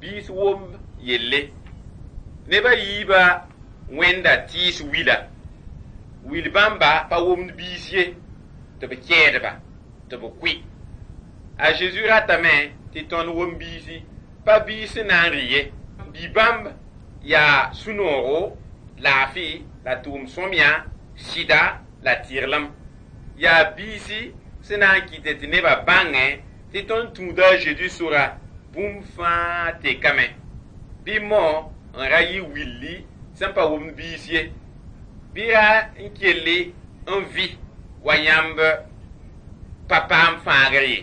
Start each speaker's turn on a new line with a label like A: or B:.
A: Biis womb yelle. Neb a yiibã wẽnda tɩɩs wila. Wil bãmba pa womd biis ye, tɩ b kɛɛd-ba, tɩ b kʋɩ. A Zeezi ratame tɩ tõnd wom biisi, pa biis sẽn na n rɩ ye. Bi-bãmb yaa sũ-noogo, laafɩ la tʋʋm-sõmyã, sɩda la tɩrlem. Yaa biisi sẽn na n kɩt tɩ nebã bãngẽ tɩ tõnd tũuda a Zeezi sora, bũmb fãa tekame. Bɩ mao n ra yɩ willi sẽn pa womd biis ye. Bɩ ra n kell n vɩ wa yãmb pa paam fãagr ye.